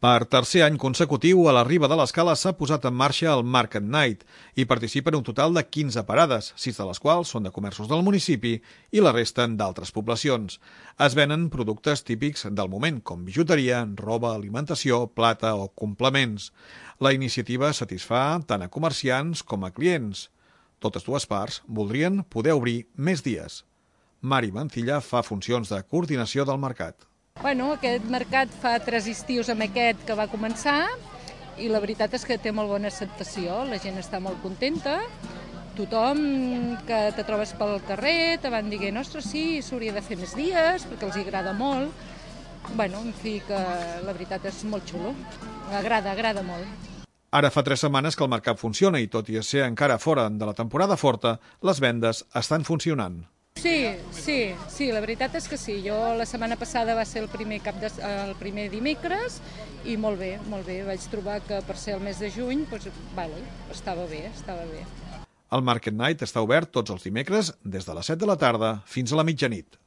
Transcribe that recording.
Per tercer any consecutiu, a la Riba de l'Escala s'ha posat en marxa el Market Night. Hi participen un total de 15 parades, 6 de les quals són de comerços del municipi i la resta d'altres poblacions. Es venen productes típics del moment, com bijuteria, roba, alimentació, plata o complements. La iniciativa satisfà tant a comerciants com a clients. Totes dues parts voldrien poder obrir més dies. Mari Mancilla fa funcions de coordinació del mercat. Aquest mercat fa 3 estius amb aquest que va començar i la veritat és que té molt bona acceptació, la gent està molt contenta, tothom que te trobes pel carrer te van dient, ostres, sí, s'hauria de fer més dies perquè els agrada molt. En fi, que la veritat és molt xulo, agrada molt. Ara fa 3 setmanes que el mercat funciona i tot i ser encara fora de la temporada forta, les vendes estan funcionant. Sí, la veritat és que sí. Jo la setmana passada va ser el primer dimecres i molt bé. Vaig trobar que per ser el mes de juny estava bé. El Market Night està obert tots els dimecres des de les 7 de la tarda fins a la mitjanit.